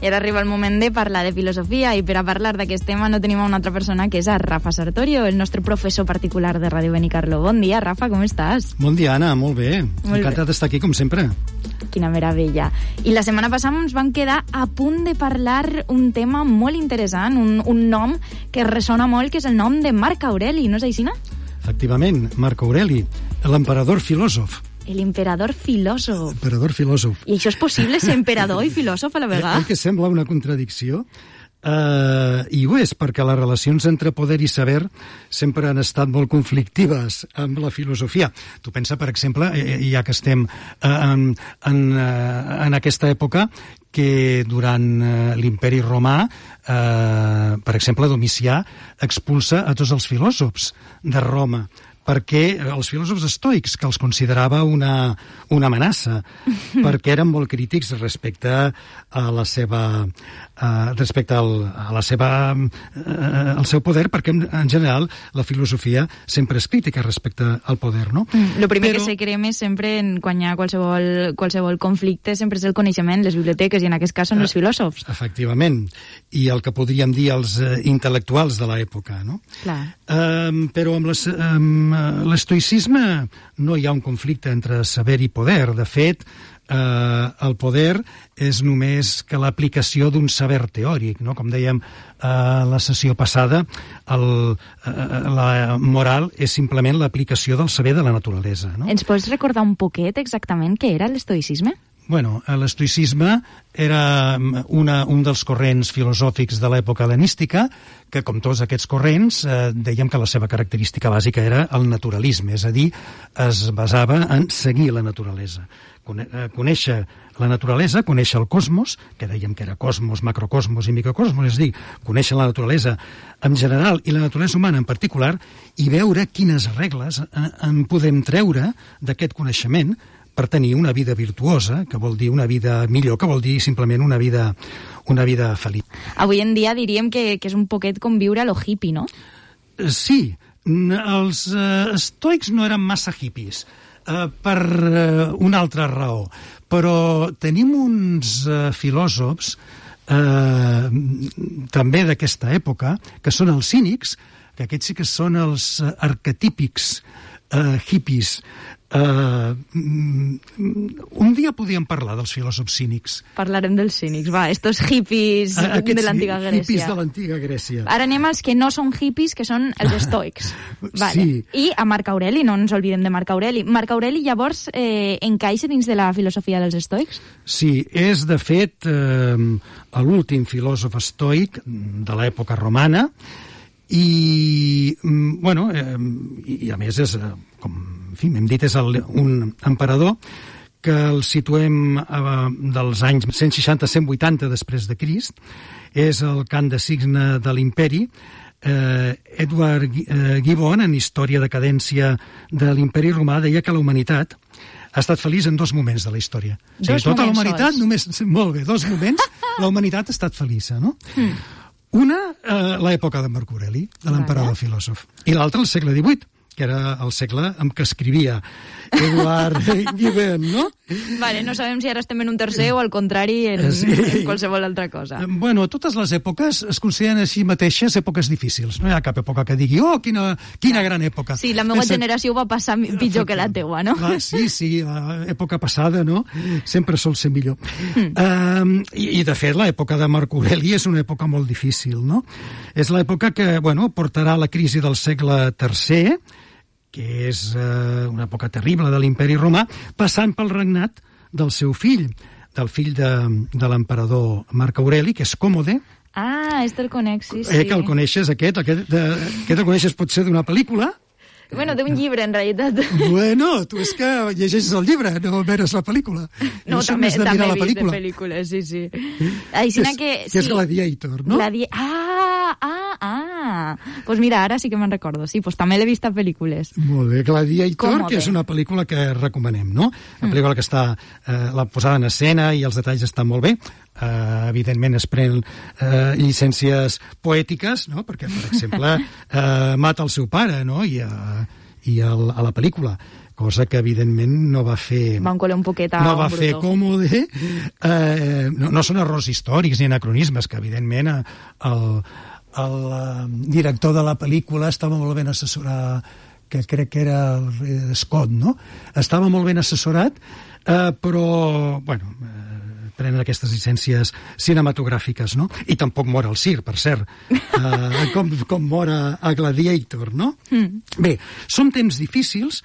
Era arriba el moment de parlar de filosofia i per a parlar d'aquest tema no tenim una altra persona que és a Rafa Sartorio, el nostre professor particular de Ràdio Benicarló. Bon dia, Rafa, com estàs? Bon dia, Anna, molt bé. Encantat d'estar aquí, com sempre. Quina meravella. I la setmana passada ens vam quedar a punt de parlar un tema molt interessant, un nom que ressona molt, que és el nom de Marc Aureli, no és així, no? Efectivament, Marc Aureli, l'emperador filòsof. L'emperador filòsof. Emperador filòsof. I això és possible, ser emperador i filòsof a la vegada? Que sembla una contradicció. I ho és, perquè les relacions entre poder i saber sempre han estat molt conflictives amb la filosofia. Tu pensa, per exemple, ja que estem en aquesta època, que durant l'imperi romà, per exemple, Domicià expulsa a tots els filòsofs de Roma, perquè els filòsofs estoics, que els considerava una amenaça, perquè eren molt crítics respecte a la seva al seu poder, perquè en general la filosofia sempre és crítica respecte al poder, no? El primer que se crema sempre quan hi ha qualsevol conflicte sempre és el coneixement, les biblioteques, i en aquest cas són els filòsofs. Efectivament, i el que podríem dir els intel·lectuals de l'època, no? Clar. Però amb l'estoïcisme no hi ha un conflicte entre saber i poder. De fet, el poder és només que l'aplicació d'un saber teòric, no? Com dèiem a la sessió passada, la moral és simplement l'aplicació del saber de la naturalesa, no? Ens pots recordar un poquet exactament què era l'estoïcisme? Bueno, l'estoïcisme era un dels corrents filosòfics de l'època hel·lenística, que, com tots aquests corrents, dèiem que la seva característica bàsica era el naturalisme, és a dir, es basava en seguir la naturalesa. Conèixer la naturalesa, conèixer el cosmos, que dèiem que era cosmos, macrocosmos i microcosmos, és a dir, conèixer la naturalesa en general i la naturalesa humana en particular, i veure quines regles en podem treure d'aquest coneixement per tenir una vida virtuosa, que vol dir una vida millor, que vol dir simplement una vida feliç. Avui en dia diríem que és un poquet com viure a lo hippie, no? Sí, els estoics no eren massa hippies, per una altra raó, però tenim uns filòsofs també d'aquesta època, que són els cínics, que aquests sí que són els arquetípics hippies. Un dia podíem parlar dels filòsofs cínics. Parlarem dels cínics, va, estos hippies de l'antiga Grècia. Hippies de l'antiga Grècia. Ara anem als que no són hippies, que són els estoics. Vale. Sí. I a Marc Aureli, no ens oblidem de Marc Aureli. Marc Aureli llavors encaixa dins de la filosofia dels estoics? Sí, és de fet l'últim filòsof estoic de l'època romana, i a més és, com hem dit, és un emperador que el situem dels anys 160-180 després de Crist. És el cant de signe de l'imperi. Edward Gibbon, en Història de decadència de l'imperi romà, deia que la humanitat ha estat feliç en dos moments de la història. Tota la humanitat, molt bé, dos moments, la humanitat ha estat feliç, no? Una, l'època de Marc Aureli, de l'emperador filòsof, i l'altra, el segle XVIII, que era el segle en què escrivia Edward Gibbon, no? Vale, no sabem si ara estem en un tercer o al contrari en qualsevol altra cosa. Bueno, totes les èpoques es consideren així mateixes èpoques difícils. No hi ha cap època que digui, oh, quina gran època. Sí, la meva generació va passar pitjor que la teua, no? Sí, l'època passada, no? Sempre sol ser millor. I de fet, l'època de Marc Aureli és una època molt difícil, no? És l'època que, portarà la crisi del segle III, que és una època terrible de l'imperi romà, passant pel regnat del seu fill, del fill de l'emperador Marc Aureli, que és Còmode. Ah, el conec, sí. Que el coneixes, aquest el coneixes potser d'una pel·lícula. Bueno, d'un llibre, en realitat. Bueno, tu és que llegeixes el llibre, no veres la pel·lícula. No, també he vist de pel·lícules, sí. Que és Gladiator, no? Pues mira, ara sí que me'n recordo. Sí, pues també l'he vist a pel·lícules. Molt bé, Gladiator, que és una pel·lícula que recomanem, no? Una pel·lícula que està la posada en escena i els detalls estan molt bé. Evidentment es pren llicències poètiques, no? Perquè, per exemple, mata el seu pare, no? I a la pel·lícula, cosa que evidentment no va fer... Van colar un poquet a no va un fer brutó. còmode. No són errors històrics ni anacronismes, que evidentment el director de la pel·lícula estava molt ben assessorat, que crec que era el Scott, no? Estava molt ben assessorat, però, bueno, prenen aquestes llicències cinematogràfiques, no? I tampoc mor el Sir, per cert, com mor a Gladiator, no? Bé, són temps difícils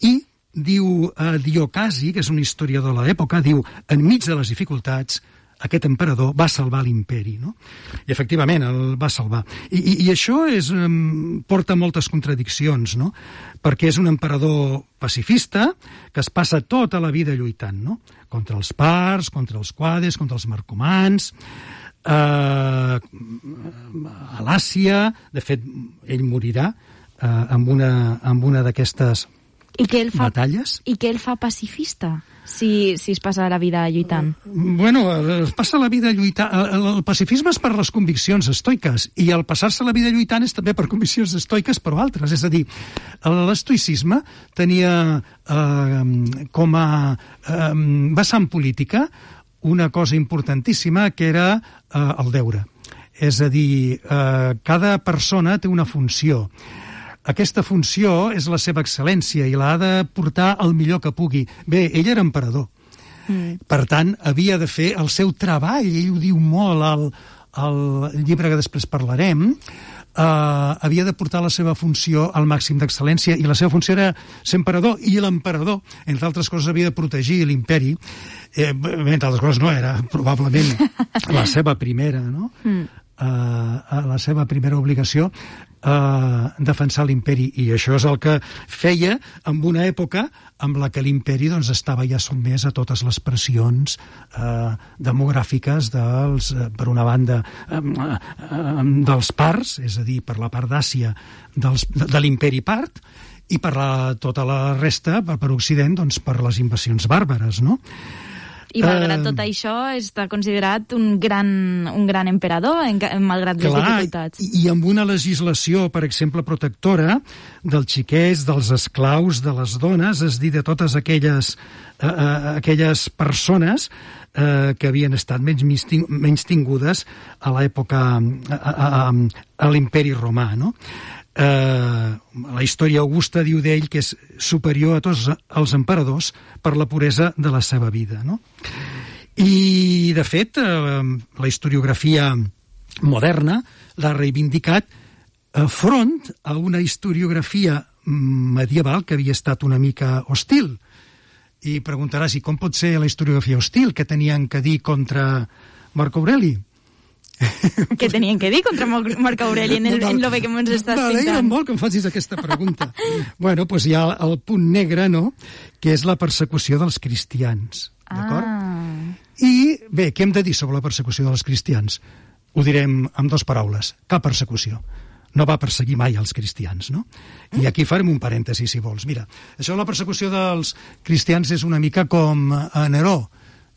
i diu Diocasi, que és un historiador de l'època, diu, enmig de les dificultats, aquest emperador va salvar l'imperi, no? I efectivament el va salvar. I això porta moltes contradiccions, no? Perquè és un emperador pacifista que es passa tota la vida lluitant, no? Contra els parts, contra els quades, contra els marcomans, a l'Àsia. De fet, ell morirà amb una d'aquestes batalles. I què el fa pacifista, si es passa la vida lluitant? Bueno, es passa la vida lluitant. El pacifisme és per les conviccions estoiques, i el passar-se la vida lluitant és també per conviccions estoiques, però altres. És a dir, l'estoicisme tenia com a vessant política una cosa importantíssima, que era el deure. És a dir, cada persona té una funció. Aquesta funció és la seva excel·lència i l'ha de portar el millor que pugui. Bé, ell era emperador. Per tant, havia de fer el seu treball. Ell ho diu molt al llibre que després parlarem. Havia de portar la seva funció al màxim d'excel·lència, i la seva funció era ser emperador, i l'emperador, entre altres coses, havia de protegir l'imperi. Entre altres coses, no era probablement la seva primera, no? La seva primera obligació, defensar l'imperi, i això és el que feia en una època en la que l'imperi estava ja sotmès a totes les pressions demogràfiques per una banda dels parts, és a dir, per la part d'Àsia de l'imperi part, i per tota la resta, per Occident, per les invasions bàrbares, no? I malgrat tot això està considerat un gran emperador, malgrat les dificultats. I amb una legislació, per exemple, protectora dels xiquets, dels esclaus, de les dones, és dir, de totes aquelles persones que havien estat menystingudes a l'època, a l'imperi romà, no? La història augusta diu d'ell que és superior a tots els emperadors per la puresa de la seva vida, no? I, de fet, la historiografia moderna l'ha reivindicat front a una historiografia medieval que havia estat una mica hostil. I preguntaràs, i com pot ser la historiografia hostil? Què tenien que dir contra Marc Aureli? Què tenien que dir contra Marc Aureli en lo bé que ens estàs pintant? M'alegra molt que em facis aquesta pregunta. Bueno, doncs hi ha el punt negre, no?, que és la persecució dels cristians. D'acord? I, bé, què hem de dir sobre la persecució dels cristians? Ho direm amb dues paraules. Cap persecució. No va perseguir mai els cristians, no? I aquí farem un parèntesi, si vols. Mira, això de la persecució dels cristians és una mica com a Neró.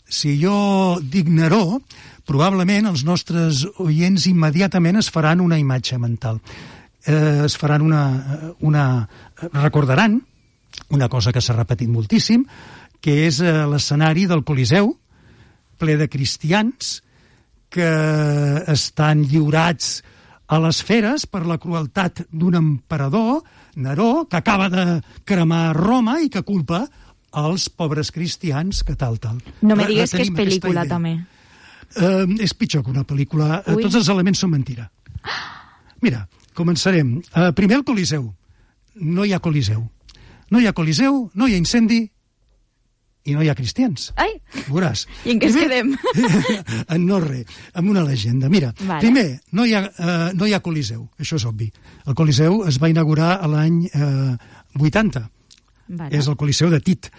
Si jo dic Neró, probablement els nostres oients immediatament es faran una imatge mental. Es faran recordaran una cosa que s'ha repetit moltíssim, que és l'escenari del Coliseu, ple de cristians que estan lliurats a les feres per la crueltat d'un emperador, Neró, que acaba de cremar Roma i que culpa als pobres cristians que tal. No me digues que és pel·lícula, també. És pitjor que una pel·lícula. Tots els elements són mentira. Mira, començarem. Primer, el Coliseu. No hi ha Coliseu. No hi ha Coliseu, no hi ha incendi i no hi ha cristians. Ai! Veuràs. I en què es quedem? No res, amb una legenda. Mira, primer, no hi ha Coliseu. Això és obvi. El Coliseu es va inaugurar a l'any 80. És el Coliseu de Tit.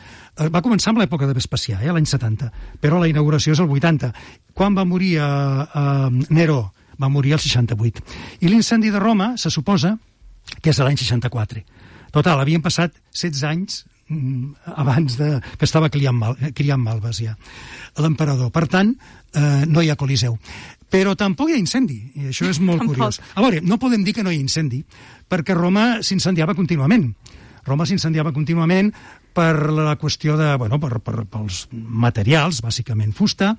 Va començar amb l'època de Vespasià, l'any 70, però la inauguració és el 80. Quan va morir Neró? Va morir el 68. I l'incendi de Roma se suposa que és l'any 64. Total, havien passat 16 anys abans que estava criant malves ja l'emperador. Per tant, no hi ha Coliseu. Però tampoc hi ha incendi, i això és molt curiós. A veure, no podem dir que no hi ha incendi, perquè Roma s'incendiava contínuament. Roma s'incendiava contínuament per la qüestió de, pels materials, bàsicament fusta,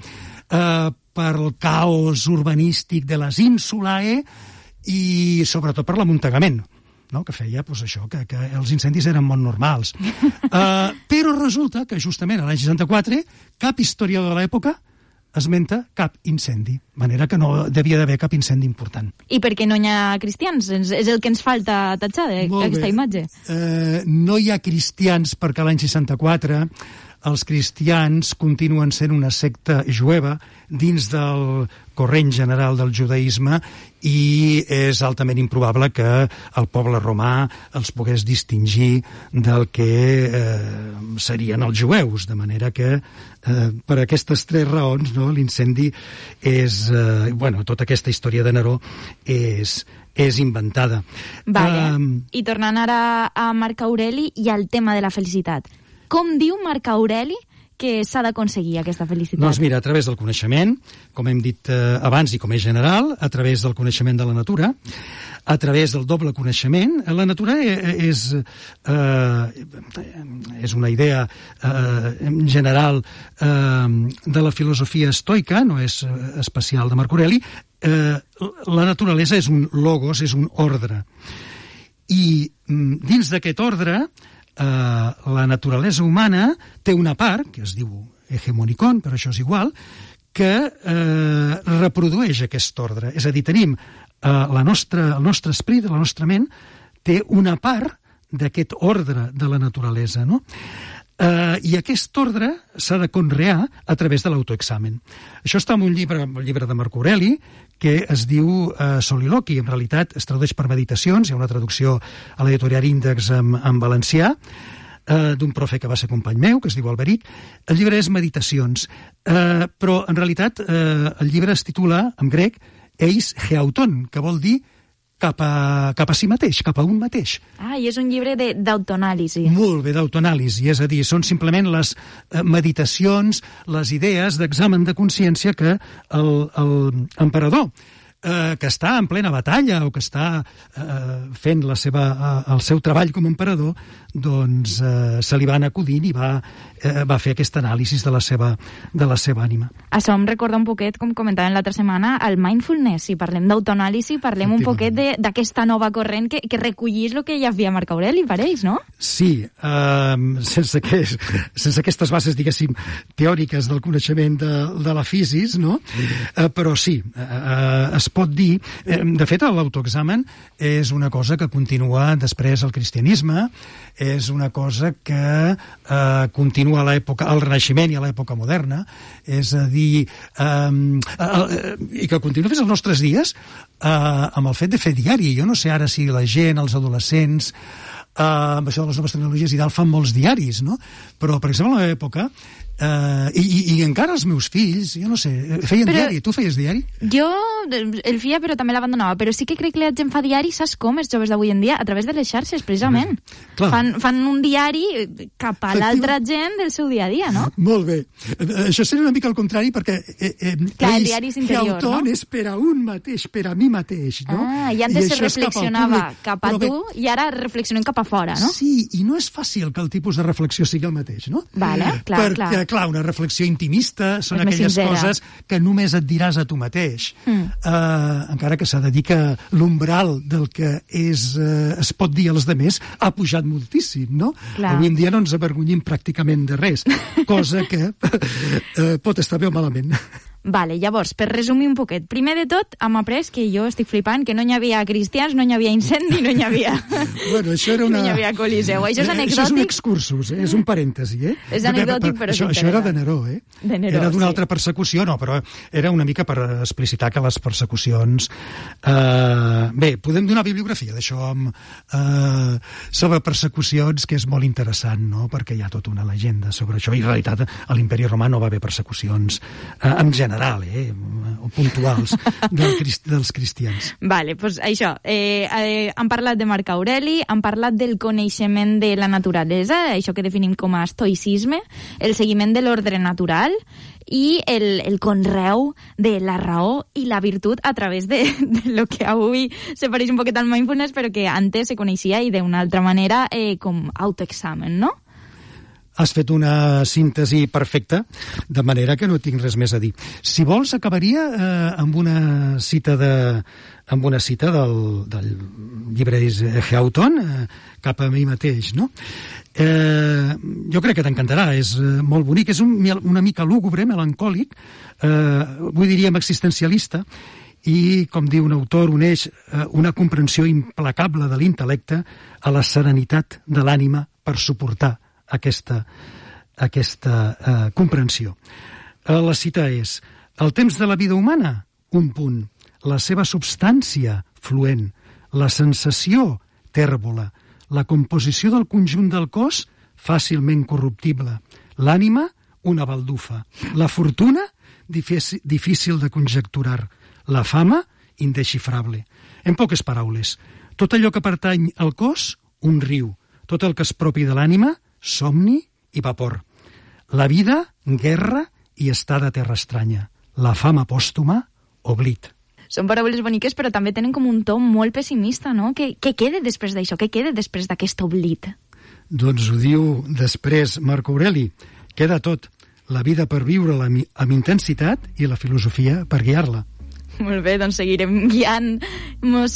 per el caos urbanístic de les ínsulae i sobretot per l'amuntegament, no? Que feia això, que els incendis eren molt normals. Però resulta que justament l'any 64 cap historiador de l'època esmenta cap incendi, de manera que no devia d'haver cap incendi important. I per què no hi ha cristians? És el que ens falta tatxar d'aquesta imatge. No hi ha cristians perquè l'any 64 els cristians continuen sent una secta jueva dins del corrent general del judaïsme i és altament improbable que el poble romà els pogués distingir del que serien els jueus, de manera que per aquestes tres raons, no, l'incendi és... tota aquesta història de Neró és inventada. Vale. I tornant ara a Marc Aureli i al tema de la felicitat. Com diu Marc Aureli que s'ha d'aconseguir aquesta felicitat? Doncs mira, a través del coneixement, com hem dit abans i com és general, a través del coneixement de la natura, a través del doble coneixement. La natura és una idea general de la filosofia estoica, no és especial de Marc Aureli. La naturalesa és un logos, és un ordre. I dins d'aquest ordre, la naturalesa humana té una part, que es diu hegemonicon, però això és igual, que reprodueix aquest ordre. És a dir, tenim el nostre esperit, la nostra ment, té una part d'aquest ordre de la naturalesa, no? I aquest ordre s'ha de conrear a través de l'autoexamen. Això està en un llibre de Marc Aureli, que es diu Soliloqui. En realitat es tradueix per Meditacions, hi ha una traducció a l'editorial Índex en valencià, d'un profe que va ser company meu, que es diu Alberic. El llibre és Meditacions, però en realitat el llibre es titula, en grec, Eis Heauton, que vol dir cap a si mateix, cap a un mateix. I és un llibre d'autoanàlisi. Molt bé, d'autoanàlisi, és a dir, són simplement les meditacions, les idees d'examen de consciència que l'emperador, que està en plena batalla o que està fent el seu treball com a emperador, doncs se li van acudint i va fer aquest anàlisi de la seva ànima. Això em recorda un poquet, com comentàvem l'altra setmana, el mindfulness. Si parlem d'autoanàlisi, parlem un poquet d'aquesta nova corrent que recollís el que ja havia Marc Aureli, pareix, no? Sí, sense aquestes bases, diguéssim, teòriques del coneixement de la fisis, no? Però sí, es pot dir... De fet, l'autoexamen és una cosa que continua després al cristianisme, és una cosa que continua a l'època, al Renaixement i a l'època moderna, és a dir, i que continua fins als nostres dies amb el fet de fer diari. Jo no sé ara si la gent, els adolescents, amb això de les noves tecnologies i tal, fan molts diaris, no? Però, per exemple, a la meva època, i encara els meus fills, jo no sé, feien diari. Tu feies diari? Jo el feia, però també l'abandonava. Però sí que crec que la gent fa diari, saps com, els joves d'avui en dia? A través de les xarxes, precisament. Fan un diari cap a l'altra gent del seu dia a dia, no? Molt bé. Això seria una mica el contrari, perquè el diari és interior, no? És per a un mateix, per a mi mateix, no? I antes se reflexionava cap a tu, i ara reflexionem cap a fora, no? Sí, i no és fàcil que el tipus de reflexió sigui el mateix, no? Vale, clar, una reflexió intimista són aquelles coses que només et diràs a tu mateix. Encara que s'ha de dir que l'umbral del que es pot dir als altres ha pujat moltíssim, no? Avui en dia no ens avergonyim pràcticament de res, cosa que pot estar bé o malament. Vale, llavors, per resumir un poquet, primer de tot hem après que jo estic flipant, que no hi havia cristians, no hi havia incendi, no hi havia... Bueno, això era una... No hi havia coliseu. Això és anecdòtic? Això és un excursus, és un parèntesi, És anecdòtic, però és interessant. Això era de Neró, De Neró, era d'una altra persecució, no, però era una mica per explicitar que les persecucions... Bé, podem donar bibliografia d'això sobre persecucions, que és molt interessant, no?, perquè hi ha tota una llegenda sobre això, i en realitat a l'Imperi Romà no va haver persecucions en general. general, o puntuals dels cristians. Vale, doncs això. Han parlat de Marc Aureli, han parlat del coneixement de la naturalesa, això que definim com a estoicisme, el seguiment de l'ordre natural i el conreu de la raó i la virtut a través de lo que avui se pareix un poquet al mindfulness, però que antes se coneixia i d'una altra manera com autoexamen, no? Has fet una síntesi perfecta, de manera que no tinc res més a dir. Si vols, acabaria amb una cita del llibre d'Houghton, cap a mi mateix, no? Jo crec que t'encantarà, és molt bonic, és una mica lúgubre, melancòlic, avui diríem existencialista, i, com diu un autor, uneix una comprensió implacable de l'intel·lecte a la serenitat de l'ànima per suportar aquesta comprensió. La cita és: el temps de la vida humana, un punt, la seva substància, fluent, la sensació, tèrbola, la composició del conjunt del cos, fàcilment corruptible, l'ànima, una baldufa, la fortuna, difícil de conjecturar, la fama, indesxifrable. En poques paraules, tot allò que pertany al cos, un riu, tot el que és propi de l'ànima, somni i vapor. La vida, guerra i estada terra estranya. La fama pòstuma, oblit. Són paraules boniques, però també tenen com un to molt pessimista, no? Què queda després d'això? Què queda després d'aquest oblit? Doncs ho diu després Marc Aureli. Queda tot. La vida per viure-la amb intensitat i la filosofia per guiar-la. Molt bé, doncs seguirem guiant-nos